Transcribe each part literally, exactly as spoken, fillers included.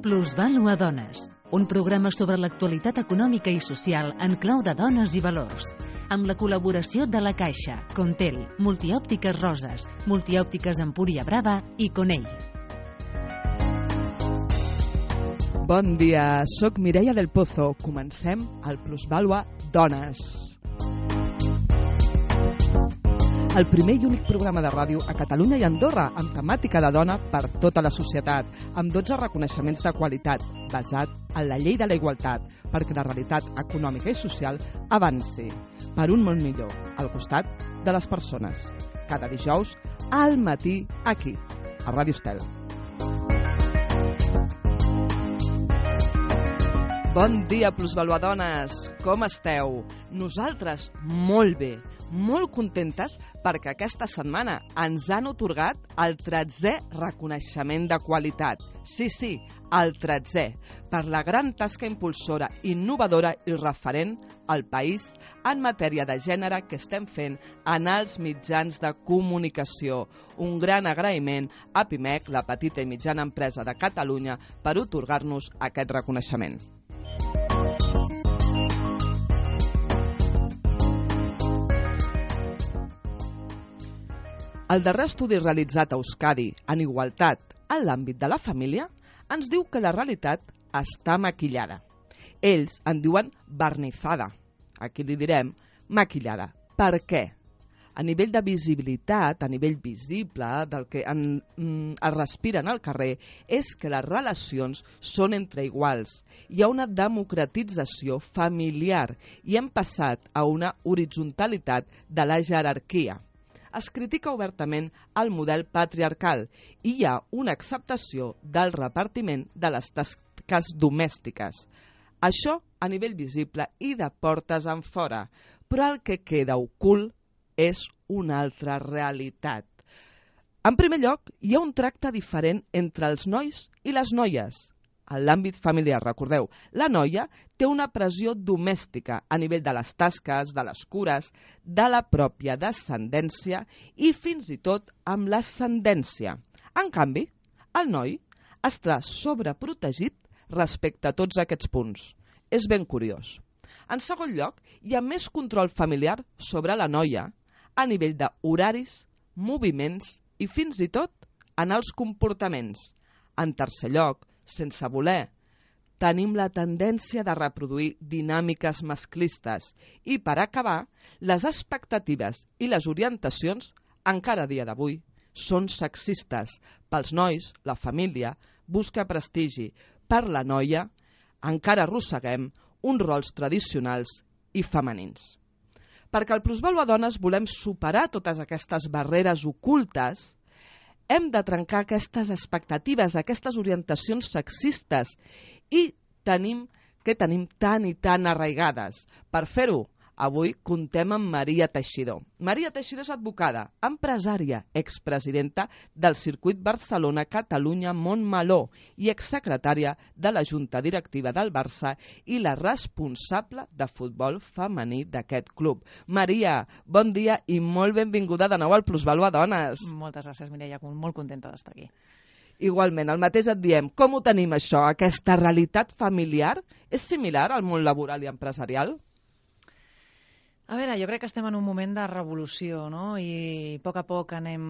Plusvàlua Dones, un programa sobre l'actualitat econòmica i social en clau de dones i valors, amb la col·laboració de La Caixa, Contel, Multiòptiques Roses, Multiòptiques Empúria Brava i Conell. Bon dia, soc Mireia del Pozo. Comencem el Plusvàlua Dones. El primer i únic programa de ràdio a Catalunya i Andorra amb temàtica de dona per tota la societat, amb dotze reconeixements de qualitat, basat en la llei de la igualtat, perquè la realitat econòmica i social avanci per un món millor, al costat de les persones. Cada dijous, al matí, aquí, a Ràdio Estel. Bon dia, Plusvaluadones! Com esteu? Nosaltres molt bé, molt contentes perquè aquesta setmana ens han atorgat el tretzè reconeixement de qualitat. Sí, sí, el tretzè, per la gran tasca impulsora, innovadora i referent al país en matèria de gènere que estem fent en els mitjans de comunicació. Un gran agraïment a Pimec, la petita i mitjana empresa de Catalunya, per atorgar-nos aquest reconeixement. El darrer estudi realitzat a Euskadi en igualtat en l'àmbit de la família ens diu que la realitat està maquillada. Ells en diuen barnizada. Aquí li direm maquillada. Per què? A nivell de visibilitat, a nivell visible del que en, mm, es respira en el carrer, és que les relacions són entre iguals. Hi ha una democratització familiar i hem passat a una horitzontalitat de la jerarquia. Es critica obertament el model patriarcal i hi ha una acceptació del repartiment de les tasques domèstiques. Això a nivell visible i de portes enfora, però el que queda ocult és una altra realitat. En primer lloc, hi ha un tracte diferent entre els nois i les noies. En l'àmbit familiar, recordeu, la noia té una pressió domèstica a nivell de les tasques, de les cures, de la pròpia descendència i fins i tot amb l'ascendència. En canvi, el noi està sobreprotegit respecte a tots aquests punts. És ben curiós. En segon lloc, hi ha més control familiar sobre la noia a nivell d'horaris, moviments i fins i tot en els comportaments. En tercer lloc, sense voler, tenim la tendència de reproduir dinàmiques masclistes i, per acabar, les expectatives i les orientacions, encara a dia d'avui, són sexistes. Pels nois, la família busca prestigi. Per la noia, encara arrosseguem uns rols tradicionals i femenins. Perquè al Plusvàlua Dones volem superar totes aquestes barreres ocultes, hem de trencar aquestes expectatives, aquestes orientacions sexistes i tenim que tenim tan i tan arraigades. Per fer-ho, avui contem amb Maria Teixidor. Maria Teixidor és advocada, empresària, expresidenta del Circuit Barcelona-Catalunya-Montmeló i exsecretària de la Junta Directiva del Barça i la responsable de futbol femení d'aquest club. Maria, bon dia i molt benvinguda de nou al Plusvàlua Dones. Moltes gràcies, Mireia, molt contenta d'estar aquí. Igualment, el mateix et diem, com ho tenim això? Aquesta realitat familiar és similar al món laboral i empresarial? A veure, jo crec que estem en un moment de revolució, no? I a poc a poc anem...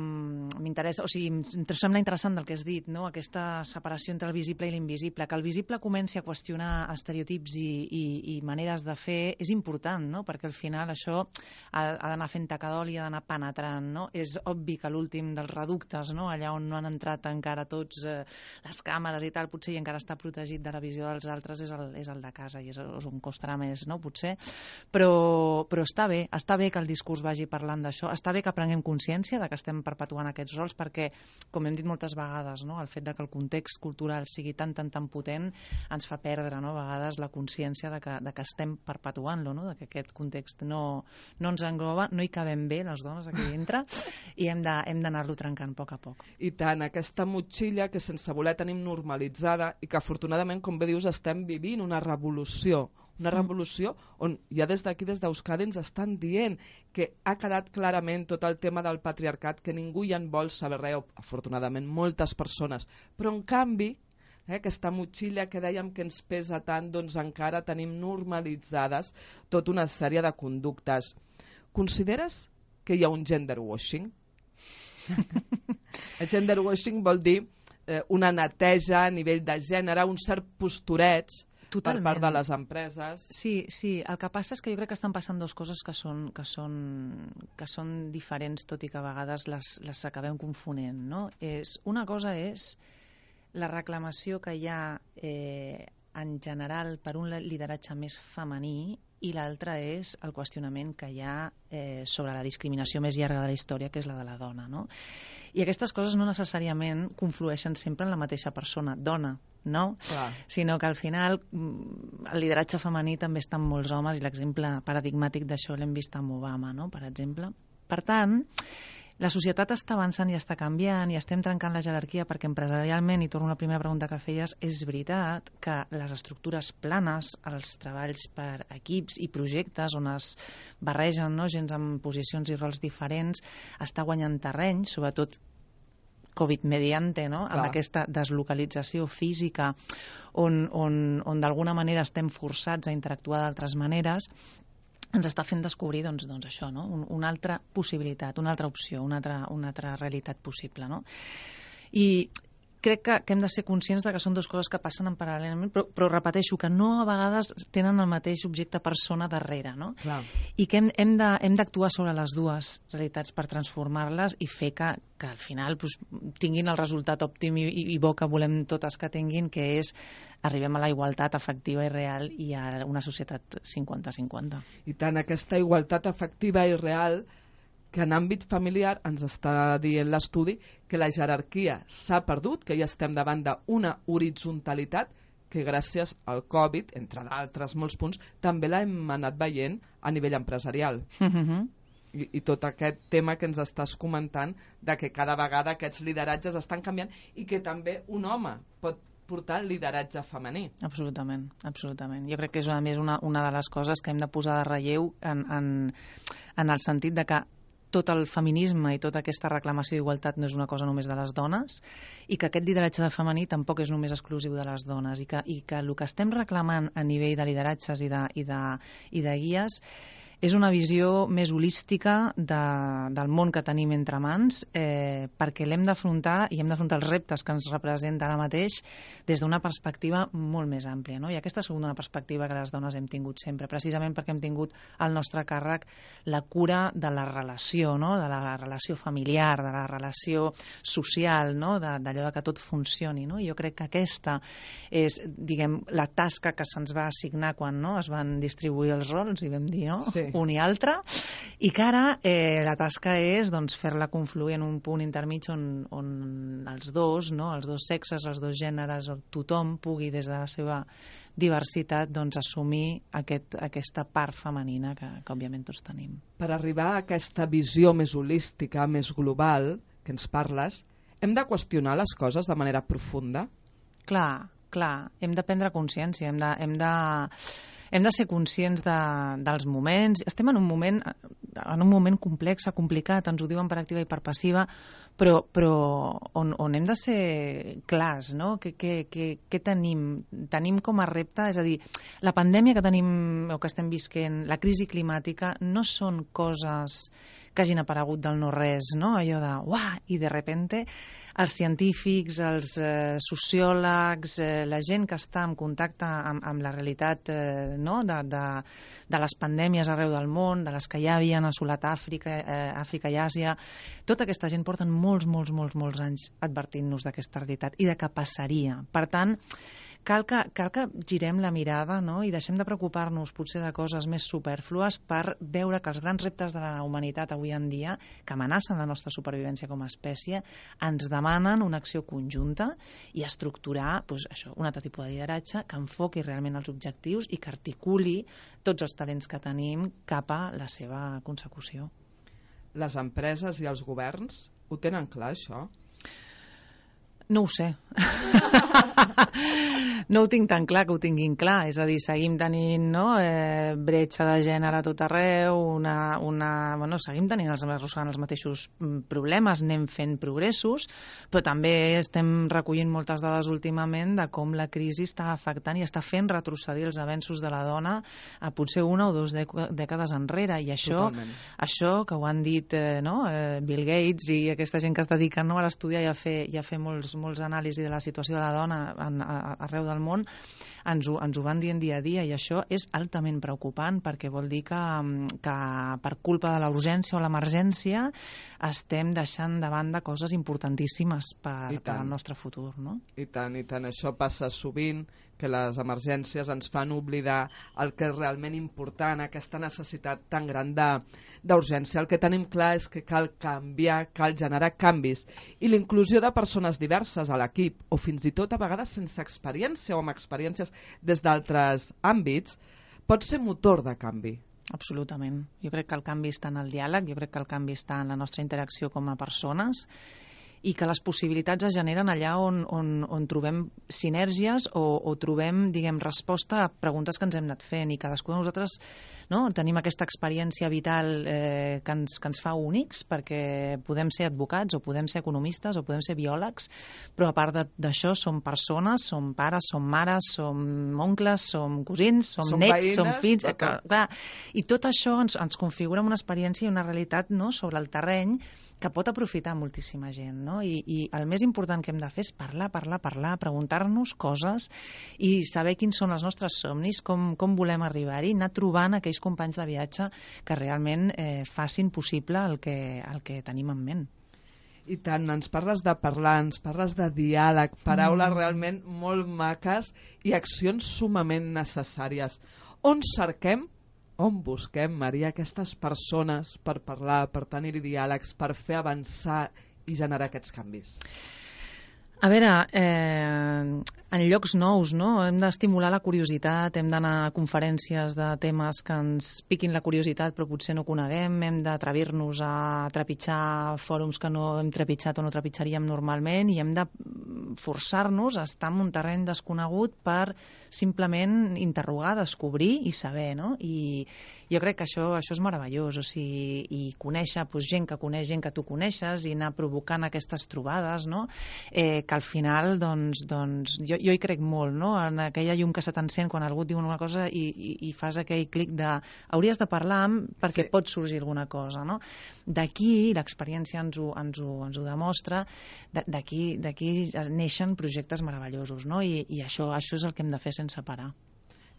M'interessa, o sigui, em sembla interessant del que has dit, no? Aquesta separació entre el visible i l'invisible. Que el visible comenci a qüestionar estereotips i, i, i maneres de fer és important, no? Perquè al final això ha, ha d'anar fent tacadol i ha d'anar penetrant, no? És obvi que l'últim dels reductes, no? Allà on no han entrat encara tots eh, les càmeres i tal, potser i encara està protegit de la visió dels altres és el, és el de casa i és, és on costarà més, no? Potser. Però, però està bé, està bé que el discurs vagi parlant d'això, està bé que prenguem consciència de que estem perpetuant aquests rols perquè, com hem dit moltes vegades, no, el fet de que el context cultural sigui tan, tan, tan potent ens fa perdre, no, a vegades la consciència de que, de que estem perpetuant-lo, no, de que aquest context no, no ens engloba, no hi cabem bé les dones aquí dintre i hem de, hem d'anar-lo trencant a poc a poc. I tant, aquesta motxilla que sense voler tenim normalitzada i que afortunadament, com bé dius, estem vivint una revolució, una revolució on ja des d'aquí, des d'Euskadi, ens estan dient que ha quedat clarament tot el tema del patriarcat, que ningú ja en vol saber res, afortunadament moltes persones, però en canvi eh, aquesta motxilla que dèiem que ens pesa tant, doncs encara tenim normalitzades tota una sèrie de conductes. Consideres que hi ha un gender washing? El gender washing vol dir eh, una neteja a nivell de gènere, un cert postureig Totalment. Per part de les empreses. Sí, sí. El que passa és que jo crec que estan passant dues coses que són, que són, que són diferents, tot i que a vegades les, les acabem confonent, no? És, una cosa és la reclamació que hi ha eh, en general per un lideratge més femení i l'altra és el qüestionament que hi ha eh, sobre la discriminació més llarga de la història, que és la de la dona, no? I aquestes coses no necessàriament conflueixen sempre en la mateixa persona, dona, no? Clar. Sinó que al final el lideratge femení també està en molts homes i l'exemple paradigmàtic d'això l'hem vist amb Obama, no? Per exemple. Per tant, la societat està avançant i està canviant i estem trencant la jerarquia perquè empresarialment, i torno a la primera pregunta que feies, és veritat que les estructures planes, els treballs per equips i projectes on es barregen, no, gens amb posicions i rols diferents, està guanyant terreny, sobretot Covid mediante, no? Amb aquesta deslocalització física on, on, on d'alguna manera estem forçats a interactuar d'altres maneres, ens està fent descobrir doncs, doncs això, no? Un, una altra possibilitat, una altra opció, una altra, una altra realitat possible, no? I crec que, que hem de ser conscients de que són dues coses que passen en paral·lelament, però, però repeteixo que no a vegades tenen el mateix objecte persona darrere, no? Clar. I que hem, hem de, hem d'actuar sobre les dues realitats per transformar-les i fer que, que al final pues, tinguin el resultat òptim i, i bo que volem totes que tinguin, que és arribem a la igualtat efectiva i real i a una societat cinquanta cinquanta. I tant aquesta igualtat efectiva i real que en àmbit familiar ens està dient l'estudi que la jerarquia s'ha perdut, que ja estem davant d'una horitzontalitat que gràcies al Covid, entre d'altres molts punts, també l'hem anat veient a nivell empresarial. Mm-hmm. I, I tot aquest tema que ens estàs comentant de que cada vegada aquests lideratges estan canviant i que també un home pot portar el lideratge femení. Absolutament, absolutament. Jo crec que és a més una, una de les coses que hem de posar de relleu en, en, en el sentit de que tot el feminisme i tota aquesta reclamació d'igualtat no és una cosa només de les dones i que aquest lideratge de femení tampoc és només exclusiu de les dones i que, i que el que estem reclamant a nivell de lideratges i de, i de, i de guies és una visió més holística de, del món que tenim entre mans eh, perquè l'hem d'afrontar i hem d'afrontar els reptes que ens representa ara mateix des d'una perspectiva molt més àmplia, no? I aquesta ha sigut una perspectiva que les dones hem tingut sempre, precisament perquè hem tingut al nostre càrrec la cura de la relació, no? De la relació familiar, de la relació social, no? D'allò de que tot funcioni, no? I jo crec que aquesta és, diguem, la tasca que se'ns va assignar quan no? Es van distribuir els rols i vam dir, no? Sí. Un i altre, i que ara eh, la tasca és doncs, fer-la confluir en un punt intermig on, on els dos, no? Els dos sexes, els dos gèneres, tothom pugui des de la seva diversitat doncs, assumir aquest, aquesta part femenina que, que òbviament tots tenim. Per arribar a aquesta visió més holística, més global, que ens parles, hem de qüestionar les coses de manera profunda? Clar, clar, hem de prendre consciència, hem de... Hem de Hem de ser conscients de, dels moments. Estem en un moment, en un moment complex, complicat, ens ho diuen per activa i per passiva, però, però on, on hem de ser clars, no? Què, què, què, què tenim? Tenim com a repte, és a dir, la pandèmia que tenim o que estem visquent, la crisi climàtica, no són coses que hagin aparegut del no-res, no? Allò de, uah, i de repente els científics, els eh, sociòlegs, eh, la gent que està en contacte amb, amb la realitat eh, no? de, de, de les pandèmies arreu del món, de les que ja havien assolat Àfrica, eh, Àfrica i Àsia, tota aquesta gent porten molts, molts, molts, molts anys advertint-nos d'aquesta realitat i de què passaria. Per tant, cal que, cal que girem la mirada, no? I deixem de preocupar-nos potser de coses més superflues per veure que els grans reptes de la humanitat avui en dia, que amenacen la nostra supervivència com a espècie, ens demanen una acció conjunta i estructurar doncs, això, un altre tipus de lideratge que enfoqui realment els objectius i que articuli tots els talents que tenim cap a la seva consecució. Les empreses i els governs ho tenen clar, això? No ho sé. No ho tinc tan clar que ho tinguin clar, és a dir, seguim tenint, no, eh, bretxa de gènere a tot arreu, una, una, bueno, seguim tenint els, arrossegant els mateixos problemes, anem fent progressos, però també estem recollint moltes dades últimament de com la crisi està afectant i està fent retrocedir els avenços de la dona a potser una o dues dècades enrere, i això, això que ho han dit eh, no, eh, Bill Gates i aquesta gent que es dedica, no, a l'estudiar i a fer, i a fer molts, molts anàlisis de la situació de la dona en, a, arreu del món, ens ho, ens ho van dient dia a dia, i això és altament preocupant perquè vol dir que, que per culpa de la urgència o l'emergència estem deixant de banda coses importantíssimes per, per al nostre futur, no? I tant, i tant. Això passa sovint, que les emergències ens fan oblidar el que és realment important, aquesta necessitat tan gran d'urgència. El que tenim clar és que cal canviar, cal generar canvis, i la inclusió de persones diverses a l'equip, o fins i tot a vegades sense experiència o amb experiències des d'altres àmbits, pot ser motor de canvi. Absolutament. Jo crec que el canvi està en el diàleg, jo crec que el canvi està en la nostra interacció com a persones, i que les possibilitats es generen allà on, on, on trobem sinergies o, o trobem, diguem, resposta a preguntes que ens hem anat fent, i cadascú de nosaltres, no, tenim aquesta experiència vital eh, que, ens, que ens fa únics, perquè podem ser advocats o podem ser economistes o podem ser biòlegs, però a part d'això som persones, som pares, som mares, som oncles, som cosins, som, som nets, veïnes, som fills... Eh, clar, clar. I tot això ens, ens configura una experiència i una realitat, no, sobre el terreny que pot aprofitar moltíssima gent, no? I, i el més important que hem de fer és parlar, parlar, parlar, preguntar-nos coses i saber quins són els nostres somnis, com, com volem arribar-hi, anar trobant aquells companys de viatge que realment eh, facin possible el que, el que tenim en ment. I tant, ens parles de parlar, ens parles de diàleg, paraules mm. realment molt maques i accions sumament necessàries. On cerquem, on busquem, Maria, aquestes persones per parlar, per tenir diàlegs, per fer avançar i generar aquests canvis? A veure, eh, en llocs nous, no? Hem d'estimular la curiositat, hem d'anar a conferències de temes que ens piquin la curiositat però potser no coneguem, hem d'atrevir-nos a trepitjar fòrums que no hem trepitjat o no trepitjaríem normalment, i hem de forçar-nos a estar en un terreny desconegut per simplement interrogar, descobrir i saber, no? I jo crec que això, això és meravellós, o sigui, i conèixer doncs, gent que coneix gent que tu coneixes i anar provocant aquestes trobades, no? Eh, que al final, doncs, doncs jo, jo hi crec molt, no? En aquella llum que se t'encén quan algú et diu una cosa i, i, i fas aquell clic de hauries de parlar amb perquè sí. pot sorgir alguna cosa, no? D'aquí, l'experiència ens ho, ens ho, ens ho demostra, d'aquí d'aquí neixen projectes meravellosos, no? I, i això, això és el que hem de fer sense parar.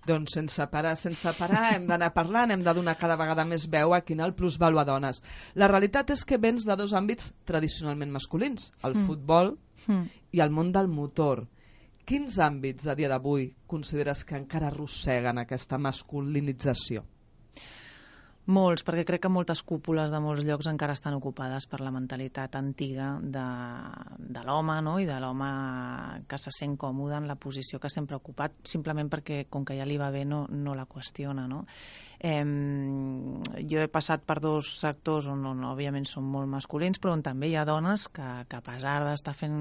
Doncs sense parar, sense parar, hem d'anar parlant, hem de donar cada vegada més veu a quin el plusvalor a dones. La realitat és que vens de dos àmbits tradicionalment masculins, el mm. futbol mm. i el món del motor. Quins àmbits a dia d'avui consideres que encara arrosseguen aquesta masculinització? Molts, perquè crec que moltes cúpules de molts llocs encara estan ocupades per la mentalitat antiga de, de l'home, no? I de l'home que se sent còmode en la posició que sempre ha ocupat, simplement perquè, com que ja li va bé, no, no la qüestiona, no? Eh, jo he passat per dos sectors on, on òbviament són molt masculins, però on també hi ha dones que, que a pesar d'estar fent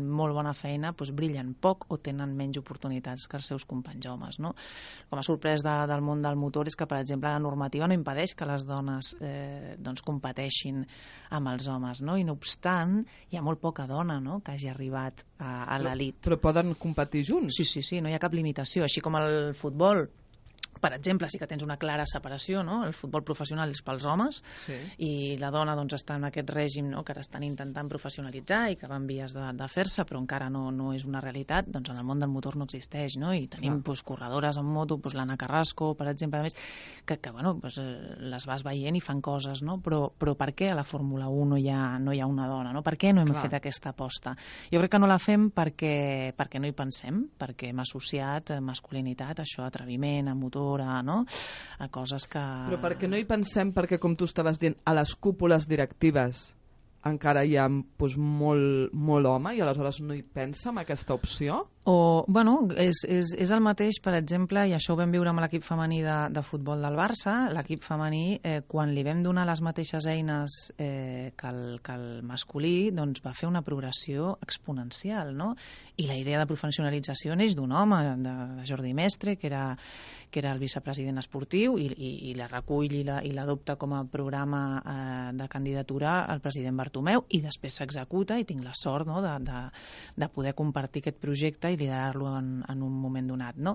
molt bona feina, doncs brillen poc o tenen menys oportunitats que els seus companys homes, no? Com a sorprès de, del món del motor és que, per exemple, la normativa no impedeix que les dones eh, doncs competeixin amb els homes, no? I no obstant, hi ha molt poca dona, no?, que hagi arribat a, a l'elit. Però, però poden competir junts? Sí, sí, sí, no hi ha cap limitació. Així com el futbol, per exemple, sí que tens una clara separació, no? El futbol professional és pels homes, sí. I la dona doncs, està en aquest règim, no?, que ara estan intentant professionalitzar i que va en vies de, de fer-se, però encara no, no és una realitat. Doncs en el món del motor no existeix, no? I tenim doncs, corredores en moto, doncs, l'Anna Carrasco, per exemple, a més, que, que bueno, doncs, les vas veient i fan coses, no? Però, però per què a la Fórmula un no hi ha, no hi ha una dona, no? Per què no hem Clar. fet aquesta aposta? Jo crec que no la fem perquè, perquè no hi pensem, perquè hem associat masculinitat, això, atreviment, a motor, a, no? a coses que... Però perquè no hi pensem, perquè com tu estaves dient, a les cúpules directives encara hi ha doncs, molt, molt home i aleshores no hi pensa en aquesta opció? O, bueno, és, és, és el mateix, per exemple, i això ho vam viure amb l'equip femení de, de futbol del Barça. L'equip femení, eh, quan li vam donar les mateixes eines eh, que, el, que el masculí, doncs va fer una progressió exponencial, no? I la idea de professionalització neix d'un home, de, de Jordi Mestre, que era, que era el vicepresident esportiu, i, i, i la recull i l'adopta com a programa eh, de candidatura al president Bartomeu, i després s'executa, i tinc la sort, no?, de, de, de poder compartir aquest projecte i liderar-lo en, en un moment donat, no?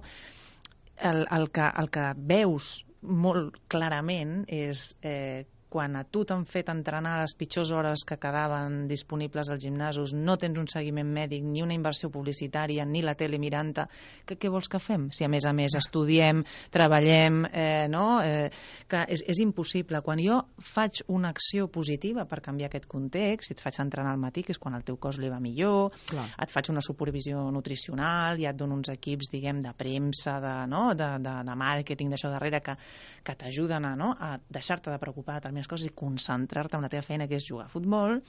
El, el, que, el que veus molt clarament és eh, quan a tu t'han fet entrenar a les pitjors hores que quedaven disponibles als gimnasos, no tens un seguiment mèdic, ni una inversió publicitària, ni la tele mirant-te, que, què vols que fem? Si a més a més estudiem, treballem, eh, no? Eh, que és, és impossible. Quan jo faig una acció positiva per canviar aquest context, si et faig entrenar al matí, que és quan el teu cos li va millor, Clar. et faig una supervisió nutricional, ja et dono uns equips, diguem, de premsa, de, no? de, de, de màrqueting, d'això darrere, que, que t'ajuden a, no? a deixar-te de preocupar de coses i concentrar-te en la teva feina, que és jugar a futbol,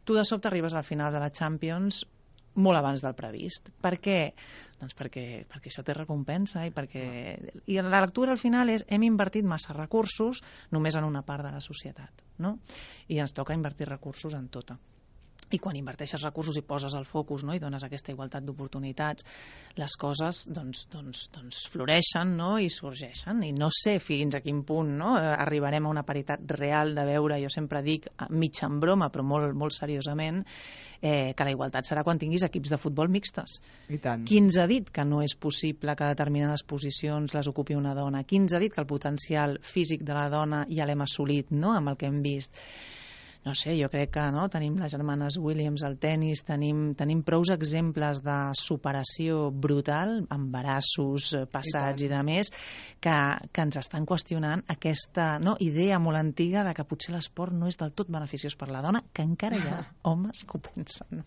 tu de sobte arribes al final de la Champions molt abans del previst. Per què? Doncs perquè, perquè això té recompensa i perquè... I la lectura al final és hem invertit massa recursos només en una part de la societat, no? I ens toca invertir recursos en tota. I quan inverteixes recursos i poses el focus, no?, i dones aquesta igualtat d'oportunitats, les coses doncs, doncs, doncs floreixen, no?, i sorgeixen. I no sé fins a quin punt, no?, arribarem a una paritat real de veure, jo sempre dic, mig en broma, però molt, molt seriosament, eh, que la igualtat serà quan tinguis equips de futbol mixtes. I tant. Qui ens ha dit que no és possible que determinades posicions les ocupi una dona? Qui ens ha dit que el potencial físic de la dona ja l'hem assolit, no?, amb el que hem vist? No sé, jo crec que no, tenim les germanes Williams al tennis, tenim, tenim prous exemples de superació brutal, embarassos passats i, i de més, que, que ens estan qüestionant aquesta, no, idea molt antiga de que potser l'esport no és del tot beneficiós per la dona, que encara hi ha homes que ho pensen.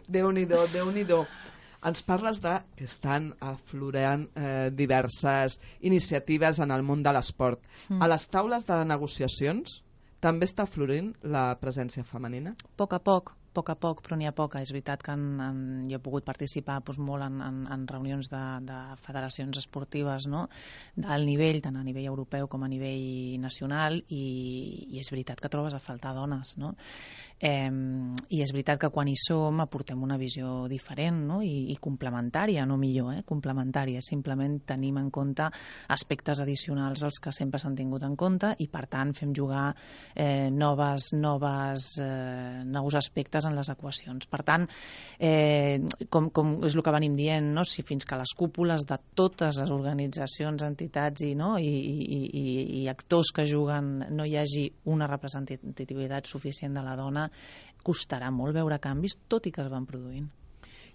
Déu-n'hi-do, Déu-n'hi-do. Ens parles de que estan aflorant eh, diverses iniciatives en el món de l'esport. Mm. A les taules de negociacions també està florint la presència femenina? A poc a poc, a poc a poc, però n'hi ha poca. És veritat que en, en, jo he pogut participar doncs, molt en, en, en reunions de, de federacions esportives, no?, d'alt nivell, tant a nivell europeu com a nivell nacional, i, i és veritat que trobes a faltar dones, no? Eh, I és veritat que quan hi som aportem una visió diferent, no?, I, i complementària, no millor, eh? complementària. Simplement tenim en compte aspectes addicionals als que sempre s'han tingut en compte i, per tant, fem jugar eh, noves, noves, eh, nous aspectes en les equacions. Per tant, eh, com, com és el que venim dient, no?, si fins que les cúpules de totes les organitzacions, entitats i, no? I, i, i, i actors que juguen no hi hagi una representativitat suficient de la dona, costarà molt veure canvis, tot i que es van produint.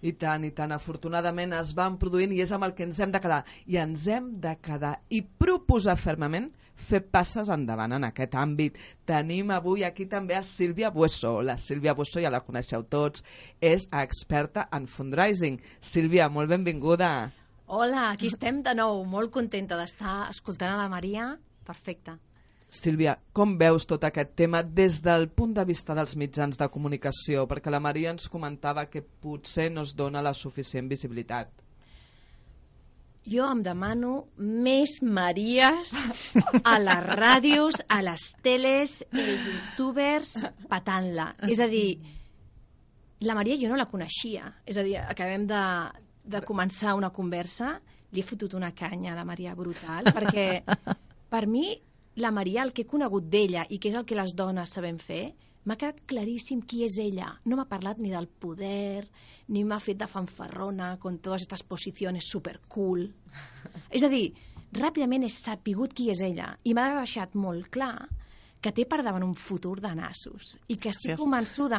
I tant, i tant. Afortunadament es van produint i és amb el que ens hem de quedar. I ens hem de quedar i proposar fermament fer passes endavant en aquest àmbit. Tenim avui aquí també a Sílvia Bueso. La Sílvia Bueso ja la coneixeu tots, és experta en fundraising. Sílvia, molt benvinguda. Hola, aquí estem de nou, molt contenta d'estar escoltant a la Maria. Perfecte. Sílvia, com veus tot aquest tema des del punt de vista dels mitjans de comunicació? Perquè la Maria ens comentava que potser no es dona la suficient visibilitat. Jo em demano més Maries a les ràdios, a les teles, els youtubers, patant-la. És a dir, la Maria jo no la coneixia. És a dir, acabem de, de començar una conversa, li he fotut una canya a la Maria brutal, perquè per mi la Maria, el que he conegut d'ella i que és el que les dones sabem fer, m'ha quedat claríssim qui és ella. No m'ha parlat ni del poder, ni m'ha fet de fanfarrona con totes aquestes posicions supercool. És a dir, ràpidament he sapigut qui és ella i m'ha deixat molt clar que té per davant un futur de nassos i que estic Gràcies. convençuda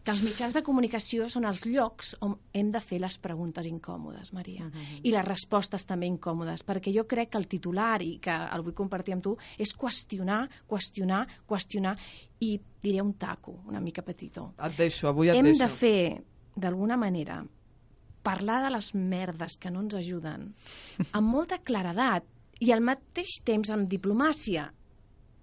que els mitjans de comunicació són els llocs on hem de fer les preguntes incòmodes, Maria, Uh-huh. i les respostes també incòmodes, perquè jo crec que el titular, i que el vull compartir amb tu, és qüestionar, qüestionar, qüestionar, i diré un taco una mica petitó. Et deixo, avui et Hem deixo. de fer, d'alguna manera, parlar de les merdes que no ens ajuden amb molta claredat i al mateix temps amb diplomàcia.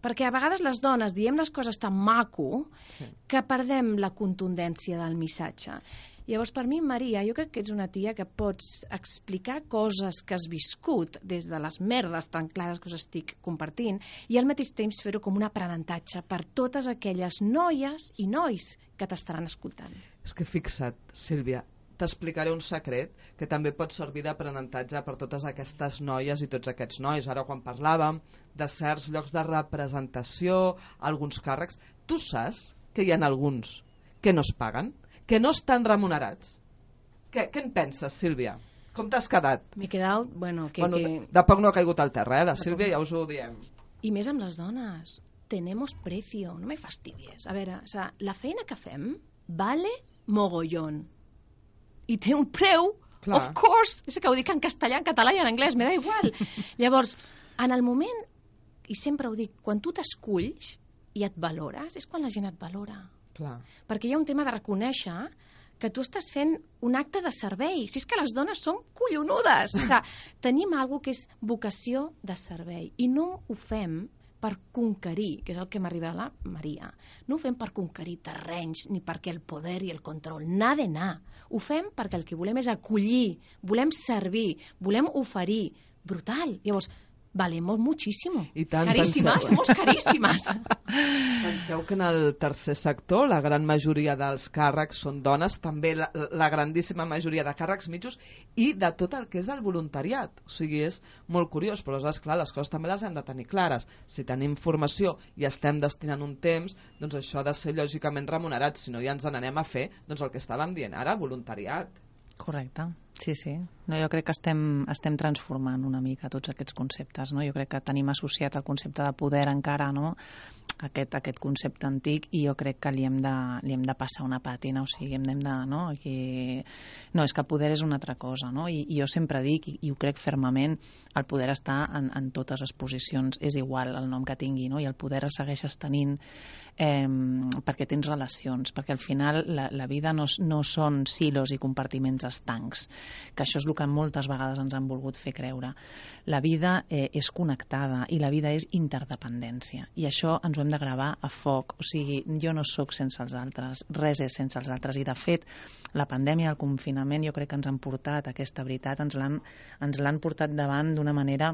Perquè a vegades les dones diem les coses tan maco Sí. que perdem la contundència del missatge. Llavors, per mi, Maria, jo crec que ets una tia que pots explicar coses que has viscut des de les merdes tan clares que us estic compartint i al mateix temps fer-ho com un aprenentatge per totes aquelles noies i nois que t'estaran escoltant. És que fixa't, Sílvia, t'explicaré un secret que també pot servir d'aprenentatge per totes aquestes noies i tots aquests nois. Ara, quan parlàvem de certs llocs de representació, alguns càrrecs, tu saps que hi ha alguns que no es paguen? Que no estan remunerats. Què, què en penses, Sílvia? Com t'has quedat? M'he quedat, bueno, que... bueno, que... De poc no ha caigut al terra, eh? La Sílvia ja us ho diem. I més amb les dones. Tenemos precio, no me fastidies. A veure, o sea, la feina que fem vale mogollón. I té un preu, Clar. of course. És que ho dic en castellà, en català i en anglès, me da igual. Llavors, en el moment, i sempre ho dic, quan tu t'esculls i et valores, és quan la gent et valora. Clar. Perquè hi ha un tema de reconèixer que tu estàs fent un acte de servei. Si és que les dones són collonudes. O sigui, tenim alguna que és vocació de servei i no ho fem per conquerir, que és el que m'arriba a la Maria. No ho fem per conquerir terrenys ni perquè el poder i el control, nada de anar. Ho fem perquè el que volem és acollir, volem servir, volem oferir. Brutal. Llavors, valemos muchísimo. I tant, caríssimas, penseu. somos caríssimas. Penseu que en el tercer sector la gran majoria dels càrrecs són dones, també la, la grandíssima majoria de càrrecs mitjos i de tot el que és el voluntariat. O sigui, és molt curiós, però és clar, les coses també les hem de tenir clares. Si tenim formació i estem destinant un temps, doncs això ha de ser lògicament remunerat, si no ja ens n'anem a fer doncs el que estàvem dient ara, voluntariat. Correcte, sí, sí. No, jo crec que estem, estem transformant una mica tots aquests conceptes, no? Jo crec que tenim associat el concepte de poder encara, no? Aquest, aquest concepte antic, i jo crec que li hem de, li hem de passar una pàtina, o sigui, hem de, no? Aquí... no, és que el poder és una altra cosa, no? I, i jo sempre dic, i, i ho crec fermament, el poder està en, en totes les posicions, és igual el nom que tingui, no? I el poder el segueixes tenint eh, perquè tens relacions, perquè al final la, la vida no, no són silos i compartiments estancs, que això és el que moltes vegades ens han volgut fer creure. La vida eh, és connectada i la vida és interdependència, i això ens ho hem de gravar a foc. O sigui, jo no sóc sense els altres, res és sense els altres, i de fet la pandèmia, el confinament, jo crec que ens han portat aquesta veritat, ens l'han ens l'han portat davant d'una manera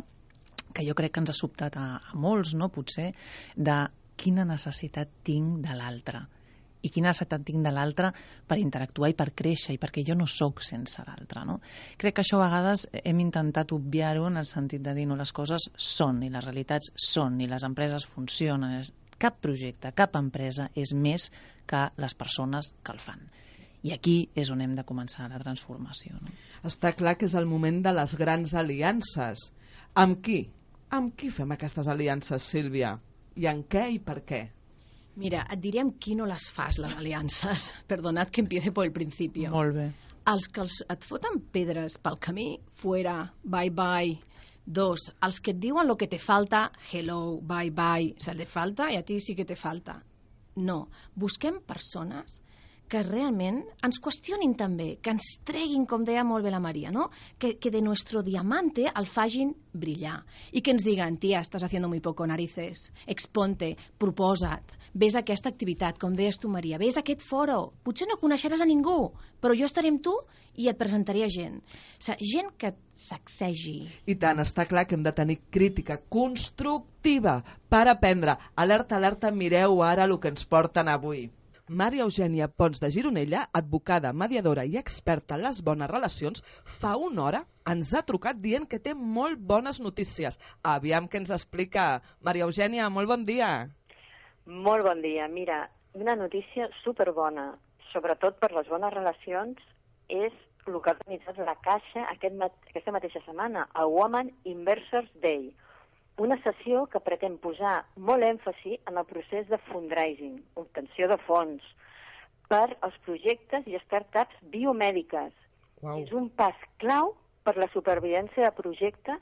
que jo crec que ens ha sobtat a, a molts, no? Potser, de quina necessitat tinc de l'altre i quina necessitat tinc de l'altre per interactuar i per créixer, i perquè jo no sóc sense l'altre, no? Crec que això a vegades hem intentat obviar-ho en el sentit de dir, no, les coses són, i les realitats són, i les empreses funcionen. Cap projecte, cap empresa és més que les persones que el fan. I aquí és on hem de començar la transformació, no? Està clar que és el moment de les grans aliances. Amb qui? Amb qui fem aquestes aliances, Sílvia? I en què i per què? Mira, et diré amb qui no les fas, les aliances. Perdonad que empiece por el principio. Molt bé. Els que els, et foten pedres pel camí, fuera, bye bye. Dos, els que et diuen lo que te falta, hello, bye bye. O sea, le falta i a ti sí que te falta. No, busquem persones que realment ens qüestionin també, que ens treguin, com deia molt bé la Maria, no? que, que de nuestro diamante el fagin brillar, i que ens diguen, tia, estàs haciendo muy poco, narices, exponte, proposa't, ves a aquesta activitat, com deies tu, Maria, ves a aquest foro, potser no coneixeràs a ningú, però jo estaré amb tu i et presentaré a gent. O sigui, gent que et sacsegi. I tant, està clar que hem de tenir crítica constructiva per aprendre. Alerta, alerta, mireu ara el que ens porten avui. Maria Eugènia Pons de Gironella, advocada, mediadora i experta en les bones relacions, fa una hora ens ha trucat dient que té molt bones notícies. Aviam què ens explica. Maria Eugènia, molt bon dia. Molt bon dia. Mira, una notícia superbona, sobretot per les bones relacions, és el que ha organitzat la Caixa aquest mat aquesta mateixa setmana, el Women Investors Day. Una sessió que pretén posar molt èmfasi en el procés de fundraising, obtenció de fons, per als projectes i startups biomèdiques. Wow. És un pas clau per la supervivència de projectes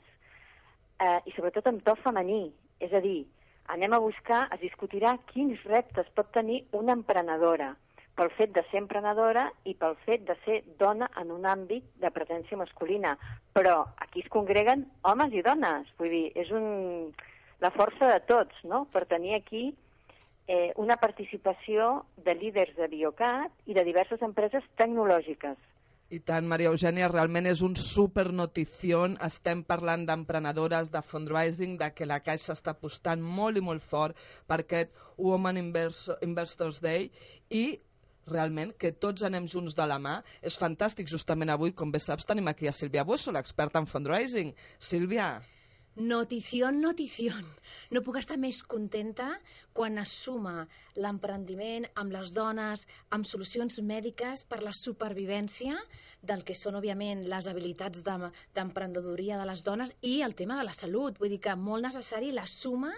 eh, i sobretot en to femení. És a dir, anem a buscar, es discutirà quins reptes pot tenir una emprenedora pel fet de ser emprenedora i pel fet de ser dona en un àmbit de presència masculina. Però aquí es congreguen homes i dones. Vull dir, és un... la força de tots, no?, per tenir aquí eh, una participació de líders de Biocat i de diverses empreses tecnològiques. I tant, Maria Eugènia, realment és un supernotició. Estem parlant d'emprenedores, de fundraising, de que la Caixa està apostant molt i molt fort per aquest Women Investors Day i realment que tots anem junts de la mà. És fantàstic, justament avui, com bé saps, tenim aquí a Sílvia Busso, l'experta en fundraising. Sílvia. Notición, notición. No puc estar més contenta quan es suma l'emprendiment amb les dones, amb solucions mèdiques per la supervivència del que són, òbviament, les habilitats d'emprenedoria de les dones i el tema de la salut. Vull dir que molt necessari la suma,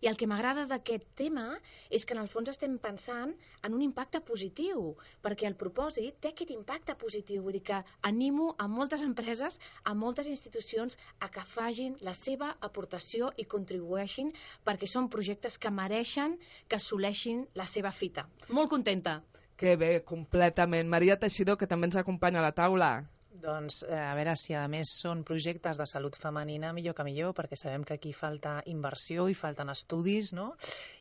i el que m'agrada d'aquest tema és que en el fons estem pensant en un impacte positiu, perquè el propòsit té aquest impacte positiu. Vull dir que animo a moltes empreses, a moltes institucions a que facin la seva aportació i contribueixin, perquè són projectes que mereixen que assoleixin la seva fita. Molt contenta. Que bé, completament. Maria Teixidor, que també ens acompanya a la taula. Doncs a veure, si a més són projectes de salut femenina, millor que millor, perquè sabem que aquí falta inversió i falten estudis, no?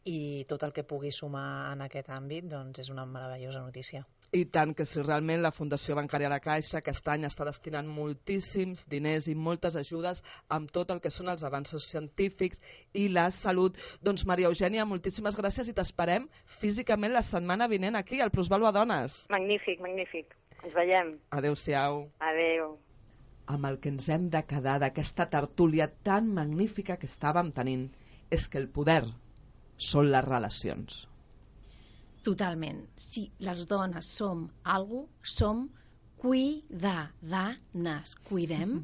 I tot el que pugui sumar en aquest àmbit, doncs és una meravellosa notícia. I tant que si realment la Fundació Bancària La Caixa aquest any està destinant moltíssims diners i moltes ajudes amb tot el que són els avanços científics i la salut. Doncs Maria Eugènia, moltíssimes gràcies i t'esperem físicament la setmana vinent aquí al Plusvàlua Dones. Magnífic, magnífic. Ens veiem. Adéu-siau. Adéu. Amb el que ens hem de quedar d'aquesta tertúlia tan magnífica que estàvem tenint és que el poder són les relacions. Totalment. Si les dones som algú, som cuidadanes. Cuidem,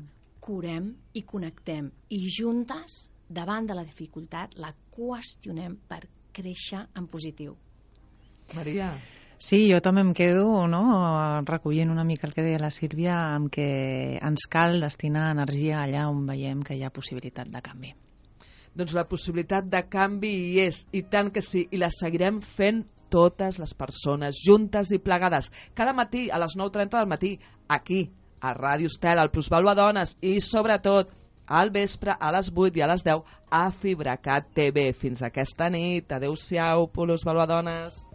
curem i connectem. I juntes, davant de la dificultat, la qüestionem per créixer en positiu. Maria. Sí, jo també em quedo, no?, recollint una mica el que deia la Sílvia, amb que ens cal destinar energia allà on veiem que hi ha possibilitat de canvi. Doncs la possibilitat de canvi hi és, i tant que sí, i la seguirem fent totes les persones, juntes i plegades, cada matí a les nou trenta del matí, aquí, a Ràdio Estel, al Plusvàlua Dones, i sobretot al vespre a les vuit i a les deu a FibraCat T V. Fins aquesta nit. Adéu-siau, Plusvàlua Dones.